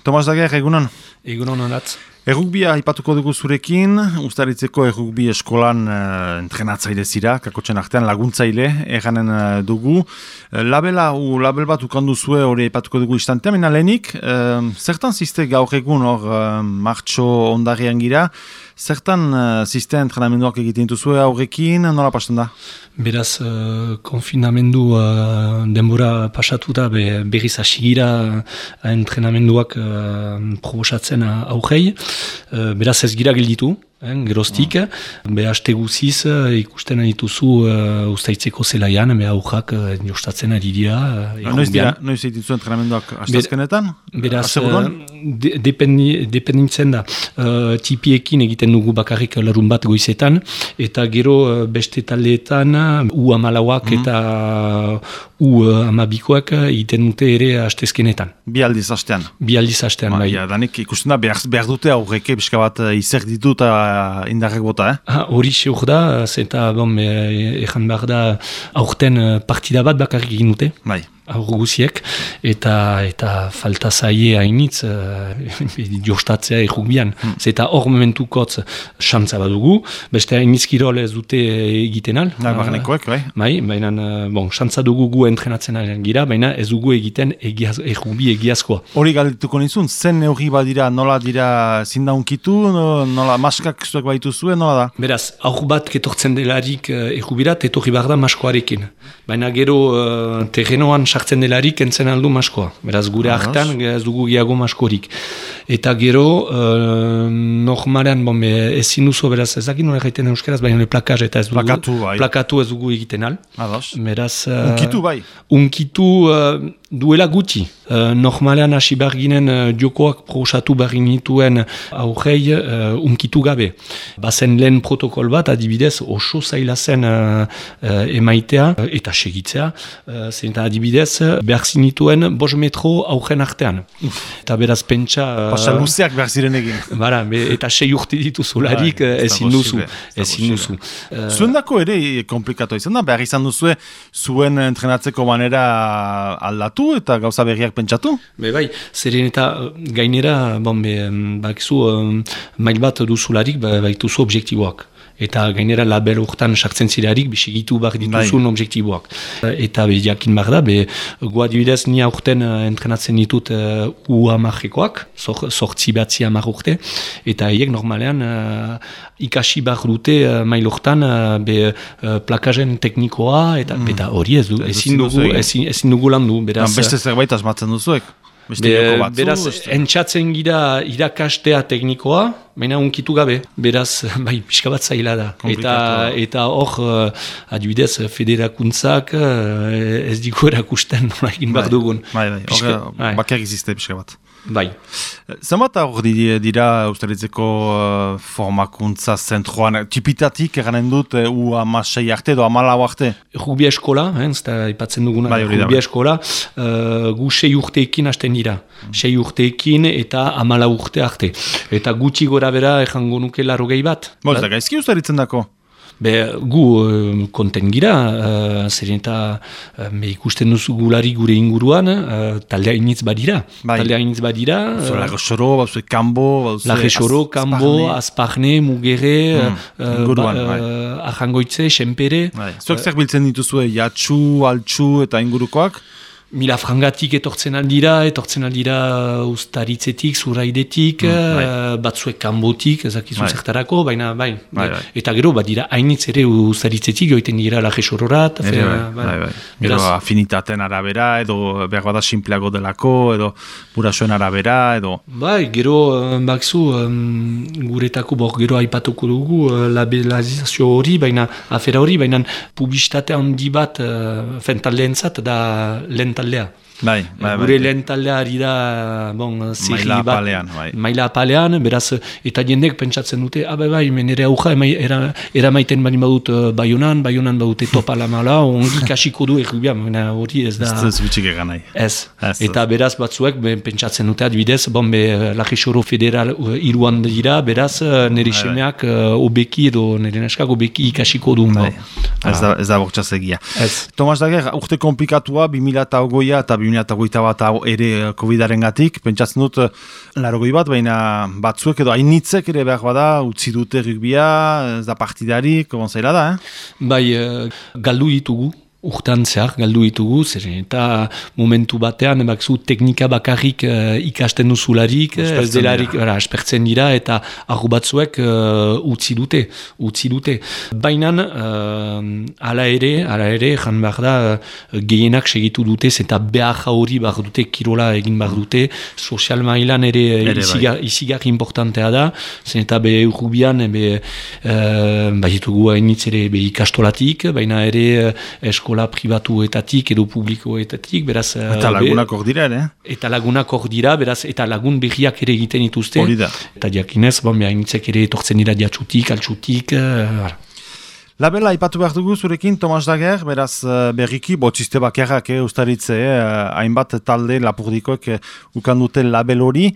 Tomas Dager, egunon? Egunon honat. Errugbia ipatuko dugu zurekin, Uztaritzeko errugbi eskolan entrenatzaile zira, kakotxen artean laguntzaile, erranen dugu. Label bat ukandu zue hori ipatuko dugu istantea, mena lehenik, zertan ziste gaur egun hor martxo ondarrian gira, zertan ziste entrenamenduak egiten dituzue aurrekin, nola pasten da? Beraz, konfinamendu denbora pasatuta berriz hasigira entrenamenduak proposatzen aurrei. Beraz ez gira gelditu, geroztik, haste guziz ikusten dituzu Uztaitzeko zelaian, aurrak jostatzen ari dira. Noiz egitzu entrenamenduak hastazkenetan? Beraz, dependitzen da. Tipiekin egiten dugu bakarrik larun bat goizetan, eta gero beste taldeetan U-amalauak eta U-amabikoak egiten dute ere hastezkenetan. Bi aldiz hastean? Bi aldiz hastean, bai. Danik ikusten da behar dute aurreke pixka bat izer ditu eta indarrek bota, Hori seur da, eta ezan behar da aurten partida bat bakarrik egin dute. Bai. Aurro guziek, eta falta zaie hainitz jostatzea errugbian. Eta hor momentukotz xantza badugu, beste hainitz kirol ez dute egiten al. Barnekoek, bai. Bai, baina, xantza dugu gu entrenatzen gira, baina ez dugu egiten errugbi egiazkoa. Hori galdetuko nizun, zen neurri badira, nola dira zindaunkitu, nola maskak zuek baitu zuen, nola da? Beraz, aur bat ketortzen delarik errubirat, etorri behar da maskoarekin. Baina gero terrenoan sartzen delarik entzen aldu maskoa. Beraz, gure hartan ez dugu gehiago maskorik. Eta gero, normalean, ezin duzu, beraz, ezakit nola egiten euskaraz, baina plakaz eta ez dugu. Plakatu ez dugu egiten al. Beraz, unkitu bai. Unkitu duela gutxi. Normalean hasi behar ginen jokoak proposatu behar nituen aurrei unkitu gabe. Bazen lehen protokol bat, adibidez, oso zaila zen emaitea eta segitzea. Zenta adibidez, behar zinituen 5 metro aurren artean. Eta beraz pentsa... Pasa luzeak behar ziren egin. Bara, eta 6 urte dituzularik ezin duzu. Zuen dako ere komplikatu izan da, behar izan duzu zuen entrenatzeko manera aldatu eta gauza berriak pentsatu? Bai, zeren eta gainera, bakizu, mail bat duzularik baituzu objektiboak. Eta gainera label urtan sartzen zirarik bisigitu behar dituzun objektiboak. Eta jakin behar da, guadibidez ni aurten entrenatzen ditut U-amarrekoak, sortzi batzi amar urte, eta haiek normalean ikasi behar dute mail urtan plakajen teknikoa, eta hori ezin dugu landu. Beste zerbait asmatzen duzuek? Beraz, entxatzen gira irakastea teknikoa, baina unkitu gabe. Beraz, pixka bat zaila da. Eta hor, adibidez, federakuntzak ez digu erakusten nola egin behar dugun. Bakar izizte pixka bat. Bai. Zenbat hor dira Uztaritzeko formakuntza zentroan, tipitatik eranen dut U-amasei arte edo U-amalau arte? Rugbi eskola, ipatzen duguna, rugbi eskola, gu 6 urteekin hasten dira. 6 urteekin eta 14 urte arte. Eta gutxi gora bera errango nuke 80 bat. Ez da gaizki Uztaritzen dako? Gu konten gira, zeren eta ikusten duzu gulari gure inguruan, taldea initz badira. Laje Xoro, Kambo, Azparne, Mugere, Arrangoitze, Xenpere. Zuek zer biltzen dituzue, Jatsu, Altsu eta ingurukoak? Milafrangatik etortzen aldira Uztaritzetik, Zuraidetik, batzuek Kanbotik, ezakizu zertarako, baina bai. Eta gero, badira hainitz ere Uztaritzetik, joiten dira Laje Xororat. Gero afinitaten arabera, edo behar bada simpleago delako, edo burasoen arabera, edo... Bai, gero, bakzu, guretako gero aipatuko dugu labelazio hori, afera hori, baina publizitate handi bat taldeentzat da lehen taldea. Gure lehen taldea ari da maila apalean, beraz, eta jendek pentsatzen dute, nire auja eramaiten bani badut Baionan badute Topalamala, ongi kasiko du errubian, hori ez da... Ez bitxik egan nahi. Ez, eta beraz batzuek pentsatzen dute adibidez, Laje Xoro federal iruan dira, beraz, nire semeak obeki edo nire neskak obeki ikasiko du. Ez da bortxaz egia. Tomas Dager, urte komplikatua, 2008 eta 2021 ere COVID-aren gatik, pentsatzen dut, 80 bat, baina batzuek edo hainitzek ere behar bada, utzi dute rugbia, ez da partidarik, zaila da, Bai, galdu ditugu. Urtean zehar, galdu ditugu, eta momentu batean, teknika bakarrik ikasten duzularik, ez delarik, aspertzen dira, eta argu batzuek utzi dute. Baina, ala ere, jan behar da, gehienak segitu dutez, eta behar hori behar dute, kirola egin behar dute, sozial mailan ere izigar importantea da, zen eta urrubian, ditugu hainitz ere ikastolatik, baina ere eskola pribatuetatik edo publikoetatik, beraz... Eta lagunak hor dira, ere? Eta lagunak hor dira, beraz, eta lagun berriak ere egiten dituzte. Hori da. Eta diakinez, hainitzek ere etortzen dira diatxutik, altxutik, Labela, ipatu behar dugu zurekin, Tomas Dager, beraz berriki, botziste bakarrak ustaritze, hainbat talde lapurdikoek ukandute label hori.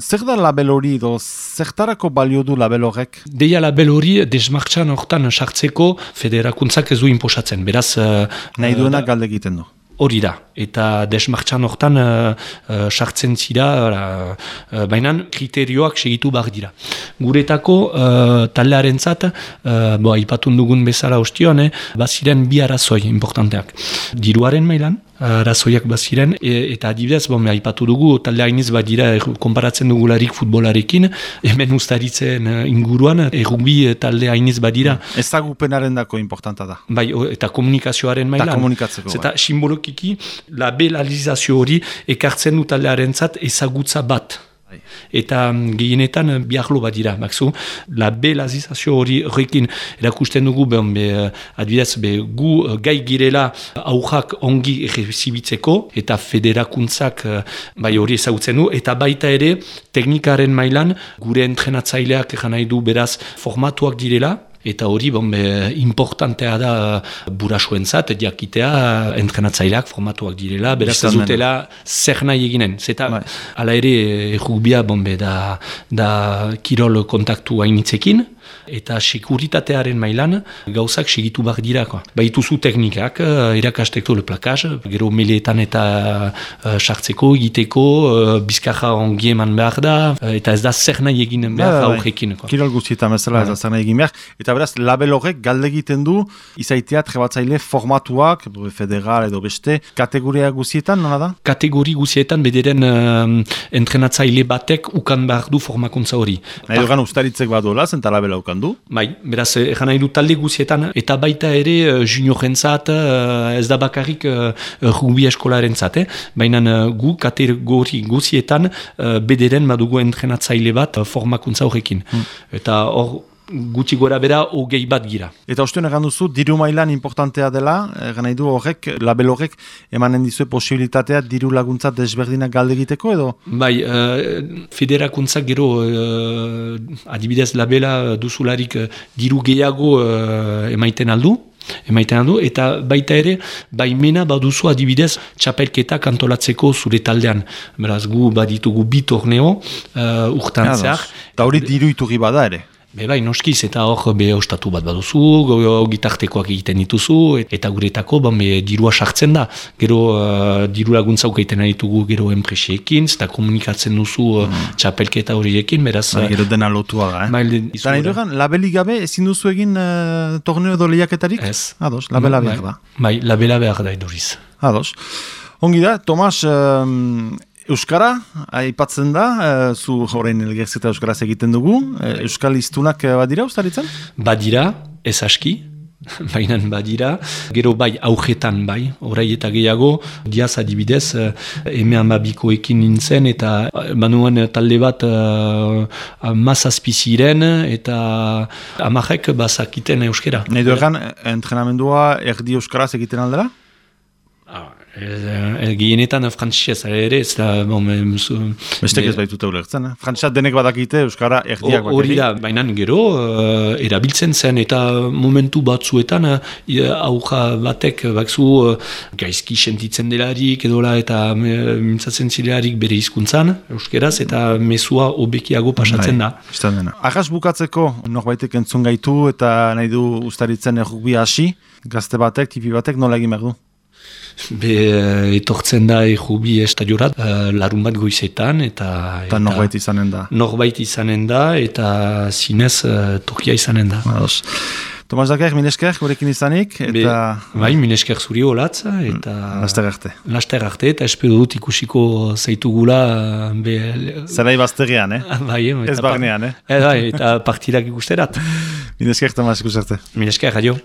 Zer da label hori, zertarako balio du label horrek? Deia label hori, desmartxan hortan sartzeko federakuntzak ez du inposatzen, beraz... Nahi duenak galde egiten du. Hori da, eta desmartxan hortan sartzen zira, baina kriterioak segitu behar dira. Guretako taldearen zat, ipatun dugun bezala ostion, baziren bi arrazoi importanteak. Diruaren mailan, arazoiak baziren, eta adibidez, aipatu dugu, talde hainiz badira, konparatzen dugularik futbolarekin, hemen ustaritzen inguruan, rugby talde hainiz badira. Ezagupenaren dako importanta da. Bai, eta komunikazioaren mailan. Eta komunikatzeko. Eta simbolokiki, labelalizazio hori ekartzen du taldearen zat ezagutza bat. Eta gehienetan biarlo bat dira, labelazizazio horrekin erakusten dugu, adibidez, gu gai girela aurrak ongi errezibitzeko, eta federakuntzak hori ezagutzen du, eta baita ere teknikaren mailan gure entrenatzaileak nahi du beraz formatuak direla, eta hori importantea da burasuentzat, jakitea entrenatzaileak formatuak direla, beraz ez dutela zer nahi eginen. Zeta, ala ere, rugbia da kirol kontaktu hainitzekin, eta sekuritatearen mailan gauzak segitu behar dira. Baituzu teknikak, erakasteko le plakaz, gero meleetan eta sartzeko, egiteko, bizkarra ongi eman behar da, eta ez da zer nahi eginen behar aurrekin. Kirol guztietan bezala ez da zer nahi egin behar. Eta beraz, label horrek galde egiten du, izaiteat trebatzaile formatuak, federal edo beste, kategoria guztietan, nola da? Kategori guztietan bederen entrenatzaile batek ukan behar du formakuntza hori. Nahi dugan ustaritzek badola, zenta labela ukan du? Bai, beraz, egan nahi du talde guztietan, eta baita ere juniorentzat, ez da bakarrik rugby eskolarentzat, baina gu kategori guztietan bederen badugu entrenatzaile bat formakuntza horrekin. Eta hor, gutxi gora bera, hogei bat gira. Eta ostean egan duzu, diru mailan importantea dela, egan nahi du horrek, label horrek, emanen dizue posibilitatea diru laguntza desberdinak galde egiteko edo? Bai, federakuntzak gero, adibidez labela duzularik diru gehiago emaiten aldu, eta baita ere, baimena baduzu adibidez txapelketak antolatzeko zure taldean. Beraz, gu baditugu bi torneo urtan zehar. Eta hori diru iturri bada ere? Bai, noskiz, eta hor ostatu bat baduzu, gitartekoak egiten dituzu, eta guretako dirua sartzen da. Gero diru laguntza ukaiten ditugu gero enpreseekin, eta komunikatzen duzu txapelketa horiekin, beraz... Gero dena lotua da, Eta nahi dugan, labeli gabe ezin duzu egin torneo edo lehiaketarik? Ez. Ados, labela behar da. Bai, labela behar da eduriz. Ados. Ongi da, Tomas... Euskara, aipatzen da, zu horrein elgerzeta Euskaraz egiten dugu. Euskal iztunak badira ustaritzen? Badira, ez aski, baina badira. Gero bai, aujetan bai, orai eta gehiago, diaz adibidez, M12koekin nintzen, eta banuan talde bat mazazpiziren, eta amarrek bazakiten euskera. Nahi duegan, entrenamendua erdi Euskaraz egiten aldera? Gehienetan frantzisez ere, ez da... Bestek ez baitute ulertzen, frantzisat denek badakite, Euskara erdiak bakari. Hori da, baina gero, erabiltzen zen, eta momentu batzuetan, auja batek, bakzu, gaizki sentitzen delarik, edola, eta mintzatzen zilelarik bere hizkuntzan euskeraz, eta mezua hobekiago pasatzen da. Arras bukatzeko, norbaitek entzun gaitu, eta nahi du ustaritzen errugbi hasi, gazte batek, tipi batek, nola egin behar du? Etortzen da errubi estadiorat, larun bat goizetan, eta norbait izanen da. Norbait izanen da, eta zinez Turkia izanen da. Tomas Daker, minesker, gurekin izanik, eta... Minesker zuri holatza, eta... Laster arte, eta espero dut ikusiko zaitugula... Zerai bazterian, ez barnean, eta partidak ikusterat. Minesker, Tomas, ikusarte. Minesker, adio.